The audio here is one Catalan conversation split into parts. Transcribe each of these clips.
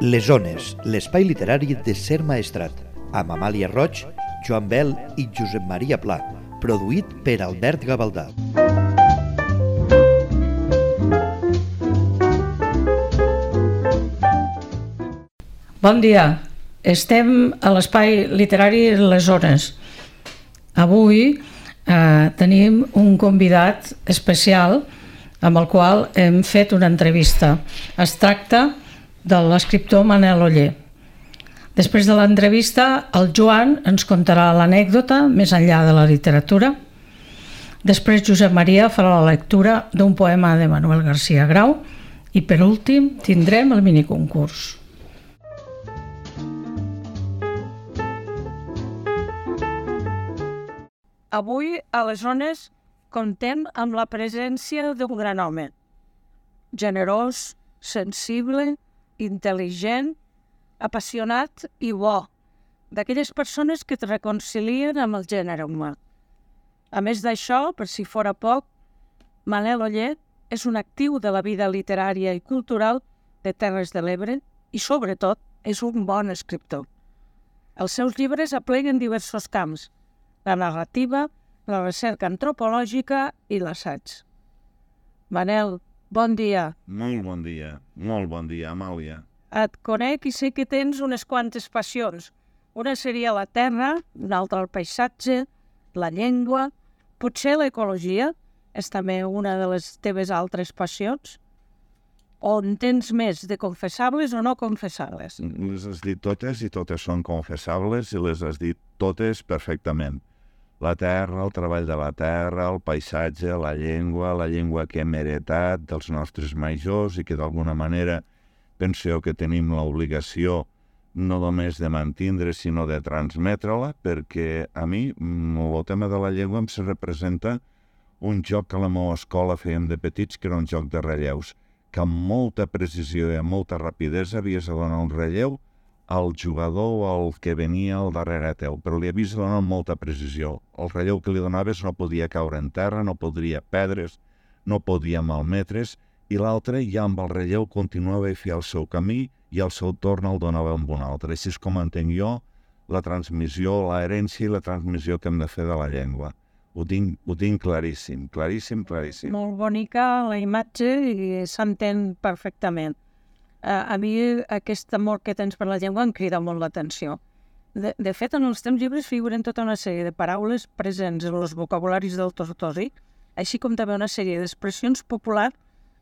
Les Ones, l'espai literari de Ser Maestrat, amb Amàlia Roig, Joan Bel i Josep Maria Pla, produït per Albert Gavaldà. Bon dia, estem a l'espai literari Les Ones. Avui tenim un convidat especial amb el qual hem fet una entrevista. Es tracta de l'escriptor Manel Oller. Després de l'entrevista, el Joan ens contarà l'anècdota més enllà de la literatura. Després Josep Maria farà la lectura d'un poema de Manuel García Grau i per últim tindrem el miniconcurs. Avui a les Ones comptem amb la presència d'un gran home, generós, sensible, intel·ligent, apassionat i bo, d'aquelles persones que et reconcilien amb el gènere humà. A més d'això, per si fora poc, Manel Oller és un actiu de la vida literària i cultural de Terres de l'Ebre i, sobretot, és un bon escriptor. Els seus llibres apleguen diversos camps: la narrativa, la recerca antropològica i l'assaig. Manel, bon dia. Molt bon dia, Amàlia. Et conec i sé que tens unes quantes passions. Una seria la terra, una altra el paisatge, la llengua, potser l'ecologia és també una de les teves altres passions? O en tens més de confessables o no confessables? Les has dit totes i totes són confessables i les has dit totes perfectament. La terra, el treball de la terra, el paisatge, la llengua que hem heretat dels nostres majors i que d'alguna manera penseu que tenim l'obligació no només de mantindre, sinó de transmetre-la, perquè a mi el tema de la llengua em se representa un joc que a la meva escola fèiem de petits, que era un joc de relleus, que amb molta precisió i amb molta rapidesa havies de donar un relleu al jugador o al que venia al darrere teu, però li havies de donar amb molta precisió. El relleu que li donaves no podia caure en terra, no podria perdre's, no podia malmetre's, i l'altre ja amb el relleu continuava a fer el seu camí i al seu torn el donava amb un altre. Així és com entenc jo la transmissió, l'herència i la transmissió que hem de fer de la llengua. Ho tinc claríssim. Molt bonica la imatge i s'entén perfectament. A mi aquest amor que tens per la llengua em crida molt l'atenció. De fet, en els teus llibres figuren tota una sèrie de paraules presents en els vocabularis del Tortosi, així com també una sèrie d'expressions populars,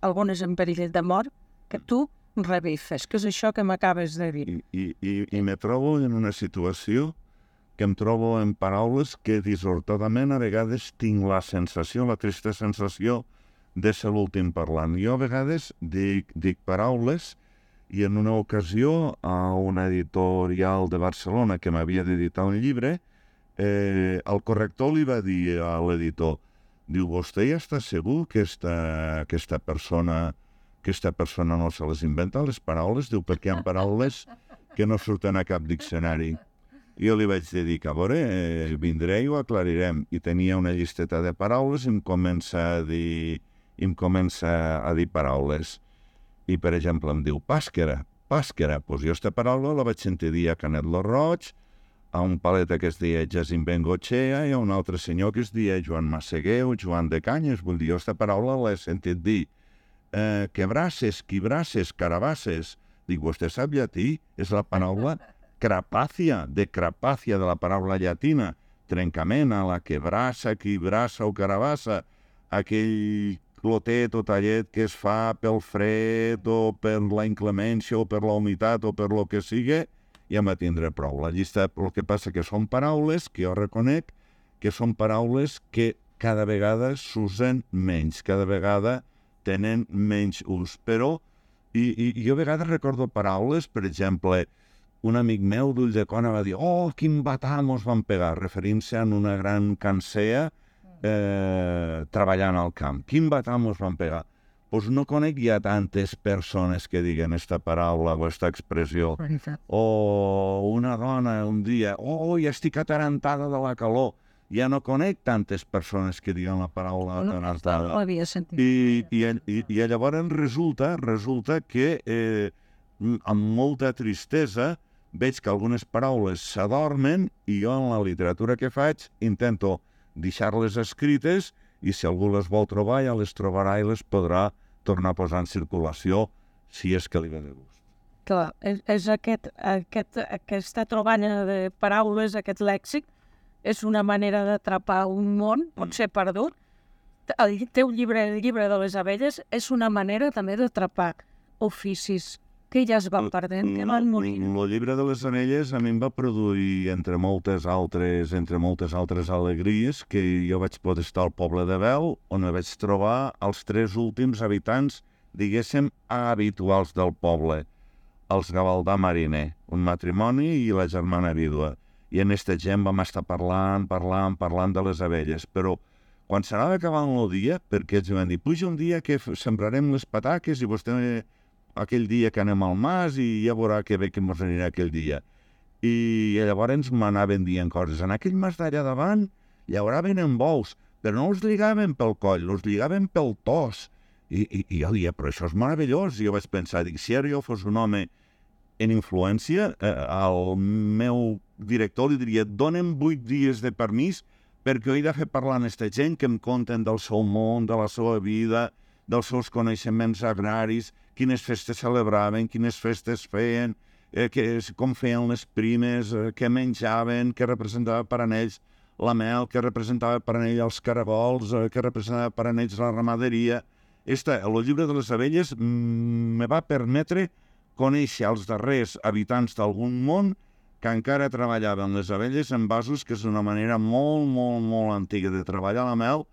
algunes en perill de mort, que tu revifes, que és això que m'acabes de dir. I me trobo en una situació que em trobo en paraules que dissortadament a vegades tinc la sensació, la trista sensació de ser l'últim parlant. Jo a vegades dic paraules i en una ocasió a una editorial de Barcelona que m'havia d'editar un llibre, el corrector li va dir a l'editor, diu, vostè ja està segur que aquesta persona no se les inventa, les paraules? Diu, perquè hi ha paraules que no surten a cap diccionari. Jo li vaig dir que, a veure, vindré i ho aclarirem. I tenia una llisteta de paraules i em comença a dir paraules. I, per exemple, em diu pàsquera. Doncs jo aquesta paraula la vaig sentir dir a Canet lo Roig, a un paleta que es deia Jacint Bengochea i a un altre senyor que es deia Joan Massaguer o Joan de Canyes. Vull dir, jo aquesta paraula l'he sentit dir. Quebrasses, quibrasses, carabasses. Dic, vostè sap llatí? És la paraula crapàcia, de la paraula llatina. Trencament a la quebrassa, quibrassa o carabassa. Aquell clotet o tallet que es fa pel fred o per la inclemència o per la humitat o per lo que sigui, ja em va tindre prou. La llista, el que passa que són paraules que jo reconec que són paraules que cada vegada s'usen menys, cada vegada tenen menys ús. Però, i jo a vegades recordo paraules, per exemple, un amic meu d'Ulldecona va dir «Oh, quin batà mos van pegar», referint-se a una gran cansea treballant al camp. Quin batà mos van pegar? Doncs no conec ja tantes persones que diguen aquesta paraula o aquesta expressió. O una dona un dia, oh, ja estic atarantada de la calor. Ja no conec tantes persones que diguen la paraula atarantada. No l'havia sentit. I llavors resulta que amb molta tristesa, veig que algunes paraules s'adormen i jo en la literatura que faig intento deixar-les escrites i si algú les vol trobar ja les trobarà i les podrà tornar a posar en circulació si és que li ve de gust. Clar, és aquesta troballa de paraules, aquest lèxic, és una manera d'atrapar un món, pot ser perdut. El teu llibre, el llibre de les abelles, és una manera també d'atrapar oficis que ja es van perdent, que van morir. El llibre de les abelles a mi em va produir, entre moltes altres alegries, que jo vaig poder estar al poble de Bel, on vaig trobar els 3 últims habitants, diguéssim, habituals del poble, els Gavaldà Mariner, un matrimoni i la germana vídua. I en aquesta gent vam estar parlant de les abelles, però quan s'anava acabant el dia, perquè ells van dir, puja un dia que sembrarem les pataques i vostè aquell dia que anem al mas i ja veurà que bé que ens anirà aquell dia. I llavors m'anaven dient coses. En aquell mas d'allà davant llauraven en bous, però no els lligaven pel coll, els lligaven pel tos. I jo deia, però això és meravellós. I jo vaig pensar, dic, si ara jo fos un home en influència, al meu director li diria, dona'm 8 dies de permís perquè he de fer parlar amb aquesta gent que em conten del seu món, de la seva vida, dels seus coneixements agraris, quines festes celebraven, quines festes feien, com feien les primes, què menjaven, què representava per a ells la mel, què representava per a ells els caragols, què representava per a ells la ramaderia. El llibre de les abelles me va permetre conèixer els darrers habitants d'algun món que encara treballaven les abelles en vasos, que és una manera molt, molt, molt antiga de treballar la mel,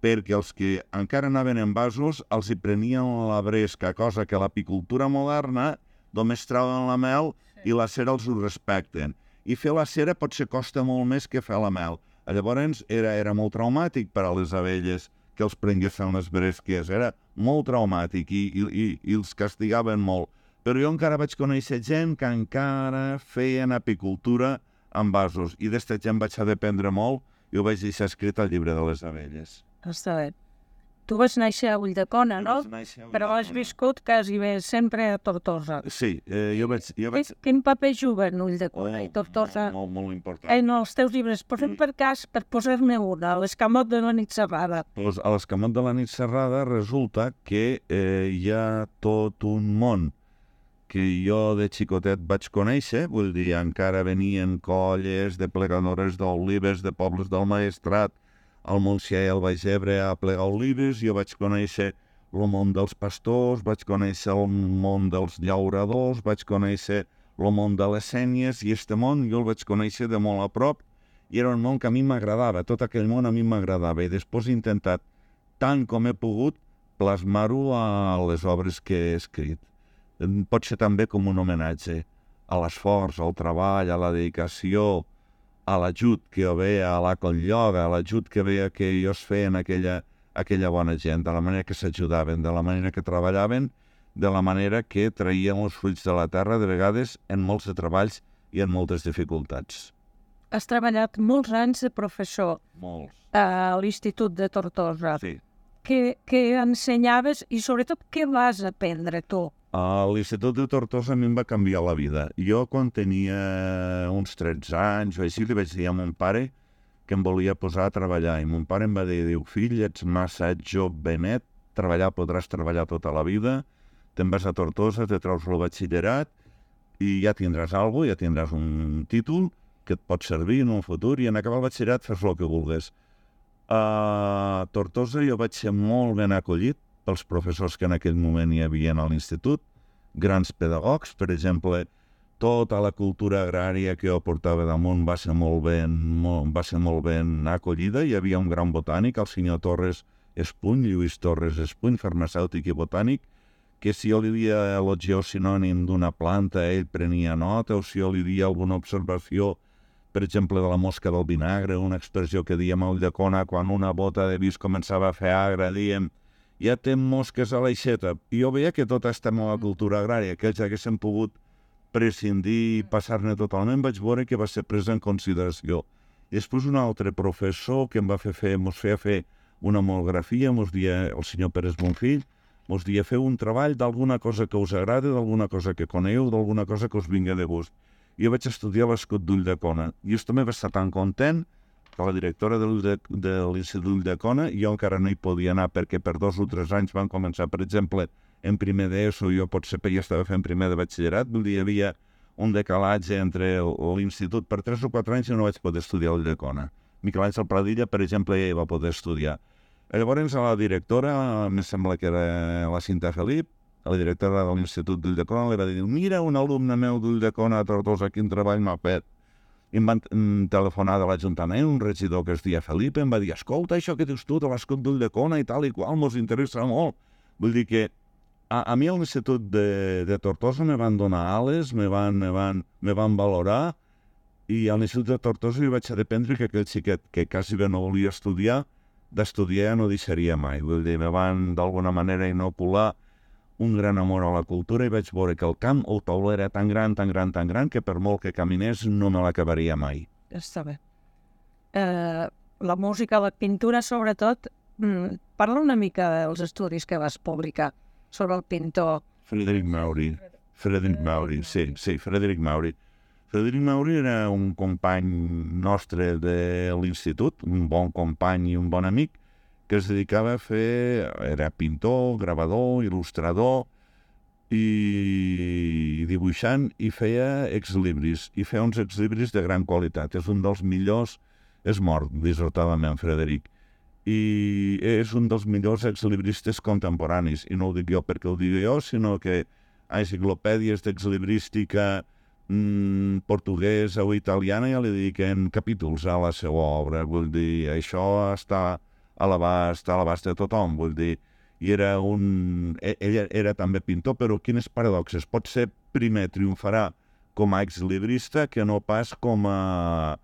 perquè els que encara anaven en vasos els hi prenien la bresca, cosa que l'apicultura moderna només treuen la mel i la cera els ho respecten. I fer la cera potser costa molt més que fer la mel. Llavors era molt traumàtic per a les abelles que els prenguessin les bresques, era molt traumàtic i els castigaven molt. Però jo encara vaig conèixer gent que encara feien apicultura en vasos i d'esta gent vaig aprendre molt i ho vaig deixar escrit al llibre de les abelles. Està bé. Tu vas néixer a Ulldecona, no? Però has viscut quasi bé sempre a Tortosa. Sí, jo vaig... Quin paper juguen Ulldecona i Tortosa? Molt important. En els teus llibres, posem per cas, per posar-ne una, l'Escamot de la nit serrada. Doncs a l'Escamot de la nit serrada resulta que hi ha tot un món que jo de xicotet vaig conèixer, vull dir, encara venien colles de plegadores d'olives de pobles del Maestrat, al Montsià i al Baix Ebre a plegar olives, jo vaig conèixer el món dels pastors, vaig conèixer el món dels llauradors, vaig conèixer el món de les sénies, i aquest món jo el vaig conèixer de molt a prop, i era un món que a mi m'agradava, tot aquell món a mi m'agradava, i després he intentat, tant com he pogut, plasmar-ho a les obres que he escrit. Pot ser també com un homenatge a l'esforç, al treball, a la dedicació, a l'ajut que jo veia a la Cotlloga, a l'ajut que veia que ells feien aquella bona gent, de la manera que s'ajudaven, de la manera que treballaven, de la manera que traien els fruits de la terra, de vegades en molts de treballs i en moltes dificultats. Has treballat molts anys de professor. Molts. A l'Institut de Tortosa. Sí. Què ensenyaves i sobretot què vas aprendre tu? A l'Institut de Tortosa a mi em va canviar la vida. Jo quan tenia uns 13 anys o així li vaig dir a mon pare que em volia posar a treballar i mon pare em va dir, fill, ets massa jovenet, podràs treballar tota la vida, te'n vas a Tortosa, te treus el batxillerat i ja tindràs alguna cosa, ja tindràs un títol que et pot servir en un futur i en acabar el batxillerat fes el que vulguis. A Tortosa jo vaig ser molt ben acollit pels professors que en aquell moment hi havia a l'institut, grans pedagogs, per exemple, tota la cultura agrària que jo portava damunt va ser molt ben acollida. Hi havia un gran botànic, el senyor Torres Espuny, Lluís Torres Espuny, farmacèutic i botànic, que si jo li dia el geosinònim d'una planta, ell prenia nota, o si jo li dia alguna observació, per exemple, de la mosca del vinagre, una expressió que diem a Ulldecona, quan una bota de vi començava a fer agre, diem ja té mosques a l'aixeta. I jo veia que tota aquesta meva cultura agrària, que ells haguessin pogut prescindir i passar-ne totalment, vaig veure que va ser presa en consideració. I després un altre professor que ens feia fer una monografia, ens deia el senyor Pérez Bonfill, us dia feu un treball d'alguna cosa que us agrada, d'alguna cosa que coneu, d'alguna cosa que us vingui de gust. Jo vaig estudiar l'escut d'Ulldecona i jo també vaig estar tan content que la directora de l'Institut d'Ulldecona, jo encara no hi podia anar perquè per 2 o 3 anys van començar, per exemple, en primer d'ESO, jo potser ja estava fent primer de batxillerat, vull dir, hi havia un decalatge entre l'institut. Per 3 o 4 anys jo no vaig poder estudiar a Ulldecona. Miquel Àngel Pradilla, per exemple, ja hi va poder estudiar. Llavors, a la directora, em sembla que era la Cinta Felip, la directora de l'Institut d'Ulldecona, li va dir, mira, un alumne meu d'Ulldecona a Tortosa, quin treball m'ha fet. I em van telefonar de l'Ajuntament, un regidor que es deia Felip, em va dir, escolta, això que dius tu de l'escut d'Ulldecona i tal i qual, mos interessa molt. Vull dir que a mi a l'Institut de Tortosa me van donar ales, me van valorar, i a l'Institut de Tortosa jo vaig aprendre que aquell xiquet que quasi bé no volia estudiar, d'estudiar no deixaria mai. Vull dir, me van d'alguna manera inocular un gran amor a la cultura i vaig veure que el camp, el tauler era tan gran, que per molt que caminés no me l'acabaria mai. Està bé. La música, la pintura, sobretot, parla una mica dels estudis que vas publicar sobre el pintor. Frederic Mauri, sí, Frederic Mauri. Frederic Mauri era un company nostre de l'institut, un bon company i un bon amic, que es dedicava a fer, era pintor, gravador, il·lustrador i dibuixant, i feia exlibris, i feia uns exlibris de gran qualitat. És un dels millors, és mort, dissortadament, Frederic, i és un dels millors exlibristes contemporanis, i no ho dic jo perquè ho digui jo, sinó que a enciclopèdies d'exlibrística portuguesa o italiana ja li dediquen capítols a la seva obra. Vull dir, això està a l'abast de tothom, vull dir, i ell era també pintor, però quines paradoxes, potser primer triomfarà com a exlibrista que no pas com a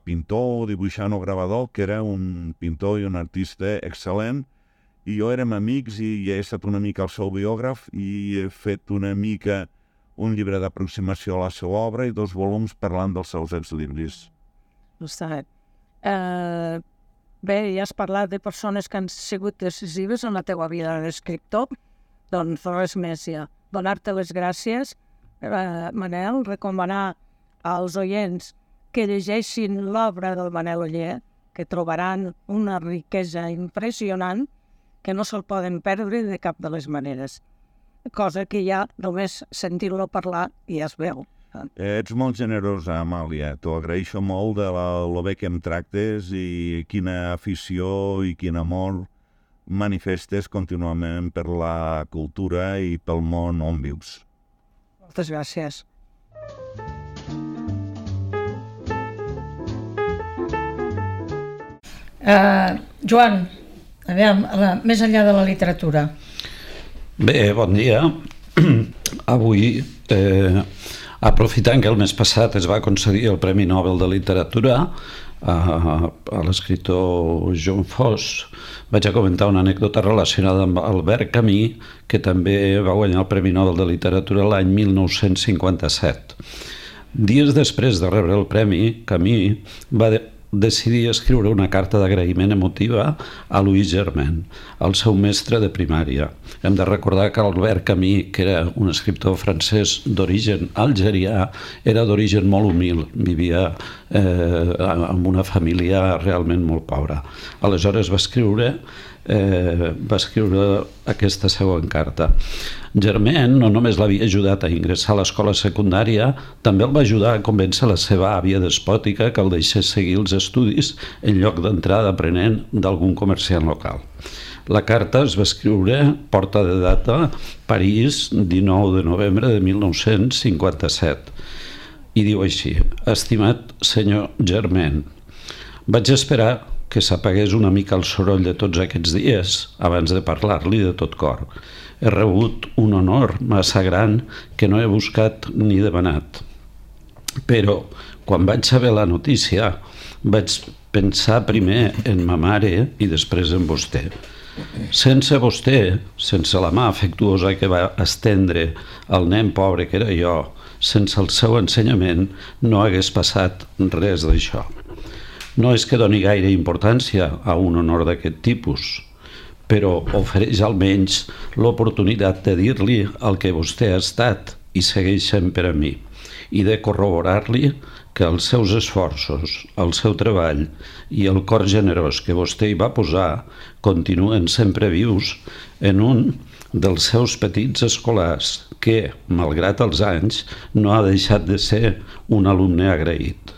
pintor, dibuixant o gravador, que era un pintor i un artista excel·lent, i jo érem amics i he estat una mica el seu biògraf i he fet una mica un llibre d'aproximació a la seva obra i 2 volums parlant dels seus exlibris. Està bé. Bé, ja has parlat de persones que han sigut decisives en la teua vida d'escriptor, doncs res més ja. Donar-te les gràcies, Manel, recomanar als oients que llegeixin l'obra del Manel Oller, que trobaran una riquesa impressionant que no se'l poden perdre de cap de les maneres. Cosa que ja només sentir-lo parlar ja es veu. Ets molt generosa, Amàlia. T'ho agraeixo molt de lo bé que em tractes i quina afició i quin amor manifestes contínuament per la cultura i pel món on vius. Moltes gràcies. Joan, més enllà de la literatura. Bé, bon dia. Avui, aprofitant que el mes passat es va concedir el Premi Nobel de Literatura a l'escriptor John Foss, vaig a comentar una anècdota relacionada amb Albert Camus, que també va guanyar el Premi Nobel de Literatura l'any 1957. Dies després de rebre el premi, Camus va decidir escriure una carta d'agraïment emotiva a Louis Germain, el seu mestre de primària. Hem de recordar que Albert Camus, que era un escriptor francès d'origen algerià, era d'origen molt humil, vivia amb una família realment molt pobra. Aleshores va escriure aquesta següent carta. Germain no només l'havia ajudat a ingressar a l'escola secundària, també el va ajudar a convèncer la seva àvia despòtica que el deixés seguir els estudis en lloc d'entrar d'aprenent d'algun comerciant local. La carta es va escriure, porta de data, París, 19 de novembre de 1957, i diu així: Estimat senyor Germain, vaig esperar que s'apagués una mica el soroll de tots aquests dies abans de parlar-li de tot cor. He rebut un honor massa gran que no he buscat ni demanat. Però, quan vaig saber la notícia, vaig pensar primer en ma mare i després en vostè. Sense vostè, sense la mà afectuosa que va estendre al nen pobre que era jo, sense el seu ensenyament, no hagués passat res d'això. No és que doni gaire importància a un honor d'aquest tipus, però ofereix almenys l'oportunitat de dir-li el que vostè ha estat i segueix sent per a mi, i de corroborar-li que els seus esforços, el seu treball i el cor generós que vostè hi va posar continuen sempre vius en un dels seus petits escolars que, malgrat els anys, no ha deixat de ser un alumne agraït.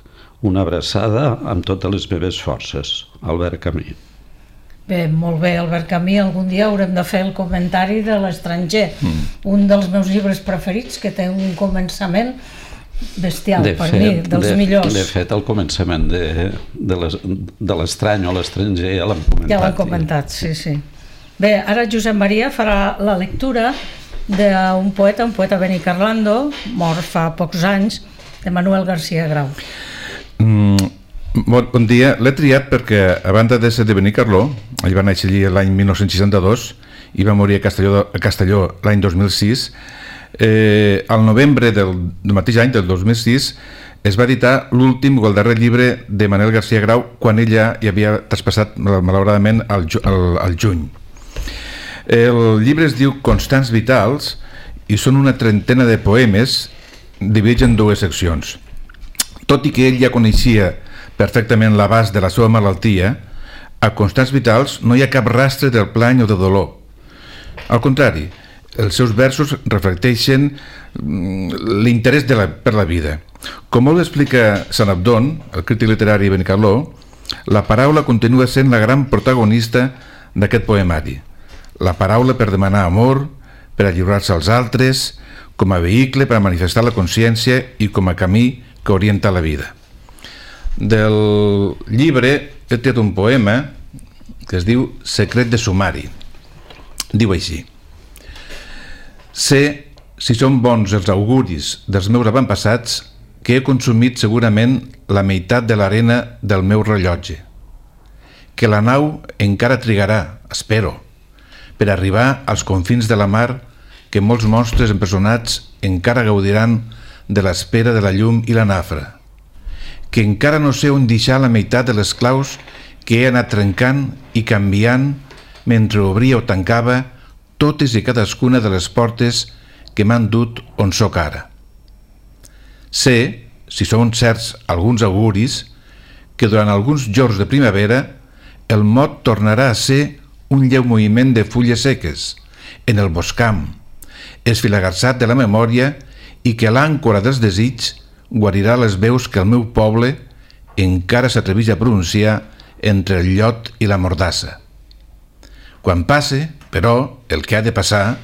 Una abraçada amb totes les meves forces. Albert Camus. Bé, molt bé, Albert Camus. Algun dia haurem de fer el comentari de l'estranger. Un dels meus llibres preferits, que té un començament bestial, per mi, dels millors. De fet, el començament de l'estrany o l'estranger ja l'hem comentat. Ja l'hem comentat, sí. Bé, ara Josep Maria farà la lectura d'un poeta benicarlando, mort fa pocs anys, de Manuel García Grau. Bon dia. L'he triat perquè, a banda de ser de Benicarló, ell va néixer allí l'any 1962 i va morir a Castelló l'any 2006. Al novembre del mateix any, del 2006, es va editar l'últim o el darrer llibre de Manuel García Grau quan ell ja hi havia traspassat malauradament al juny. El llibre es diu Constants Vitals i són una trentena de poemes dividits en dues seccions. Tot i que ell ja coneixia perfectament l'abast de la seva malaltia, a Constants Vitals no hi ha cap rastre del plany o de dolor. Al contrari, els seus versos reflecteixen l'interès per la vida. Com molt explica Sant Abdon, el crític literari benicarló, la paraula continua sent la gran protagonista d'aquest poemari. La paraula per demanar amor, per alliurar-se als altres, com a vehicle per a manifestar la consciència i com a camí que orienta la vida. Del llibre he tret un poema que es diu Secret de sumari. Diu així: sé, si són bons els auguris dels meus avantpassats, que he consumit segurament la meitat de l'arena del meu rellotge, que la nau encara trigarà, espero, per arribar als confins de la mar, que molts monstres empresonats encara gaudiran de l'espera de la llum i la nafra, que encara no sé on deixar la meitat de les claus que he anat trencant i canviant mentre obria o tancava totes i cadascuna de les portes que m'han dut on sóc ara. Sé, si són certs alguns auguris, que durant alguns jorns de primavera el mot tornarà a ser un lleu moviment de fulles seques en el boscam, esfilagarsat de la memòria, i que l'àncora dels desigs guarirà les veus que el meu poble encara s'atreveix a pronunciar entre el llot i la mordassa. Quan passe, però, el que ha de passar,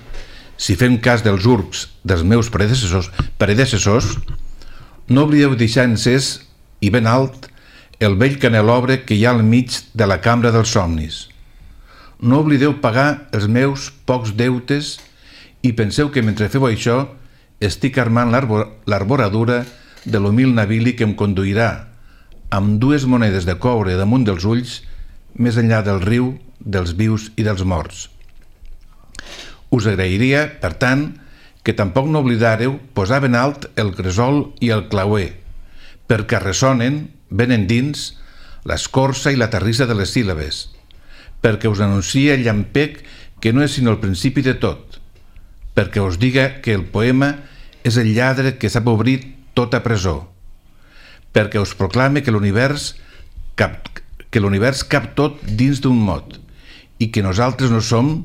si fem cas dels urbs dels meus predecessors, no oblideu deixar encès i ben alt el vell canelobre que hi ha al mig de la cambra dels somnis. No oblideu pagar els meus pocs deutes i penseu que mentre feu això estic armant l'arboradura de l'humil navili que em conduirà amb 2 monedes de coure damunt dels ulls més enllà del riu, dels vius i dels morts. Us agrairia, per tant, que tampoc no oblidareu posar ben alt el gresol i el clauer, perquè ressonen, ben endins, l'escorça i la terrissa de les síl·labes, perquè us anuncia el llampec que no és sinó el principi de tot, perquè us diga que el poema és el lladre que sap obrir tota presó, perquè us proclame que l'univers cap tot dins d'un mot i que nosaltres no som,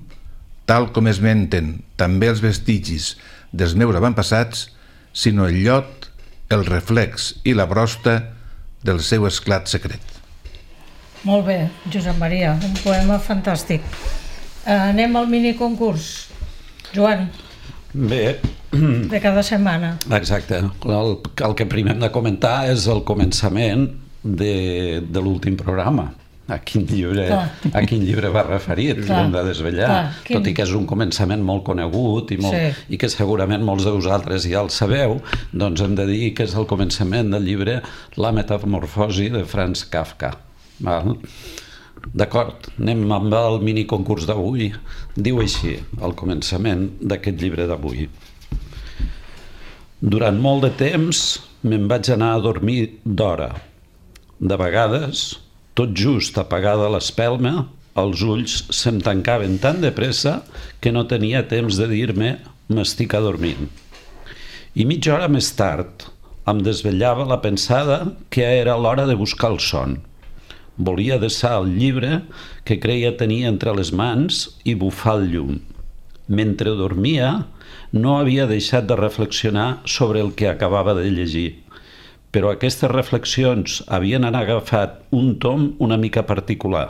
tal com es menten també els vestigis dels meus avantpassats, sinó el llot, el reflex i la brosta del seu esclat secret. Molt bé, Josep Maria, un poema fantàstic. Anem al miniconcurs. Joan. Bé. De cada setmana. Exacte. El que primer hem de comentar és el començament de l'últim programa. A quin llibre va referit, hem de desvetllar. Tot i que és un començament molt conegut i que segurament molts de vosaltres ja el sabeu, doncs hem de dir que és el començament del llibre La metamorfosi de Franz Kafka. D'acord, anem amb el miniconcurs d'avui. Diu així, al començament d'aquest llibre d'avui: durant molt de temps me'n vaig anar a dormir d'hora. De vegades, tot just apagada l'espelma, Els ulls se'm tancaven tan de pressa que no tenia temps de dir-me «m'estic adormint». I mitja hora més tard em desvetllava la pensada que era l'hora de buscar el son. Volia desar el llibre que creia tenir entre les mans i bufar el llum. Mentre dormia, no havia deixat de reflexionar sobre el que acabava de llegir, però aquestes reflexions havien agafat un tom una mica particular.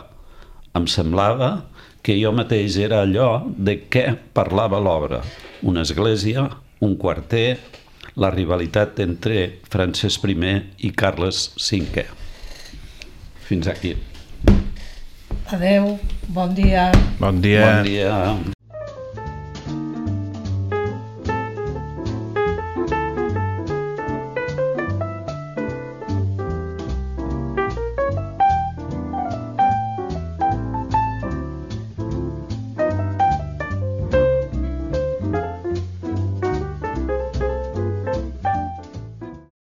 Em semblava que jo mateix era allò de què parlava l'obra: una església, un quarter, la rivalitat entre Francesc I i Carles V. Fins aquí. Adeu, bon dia. Bon dia. Bon dia.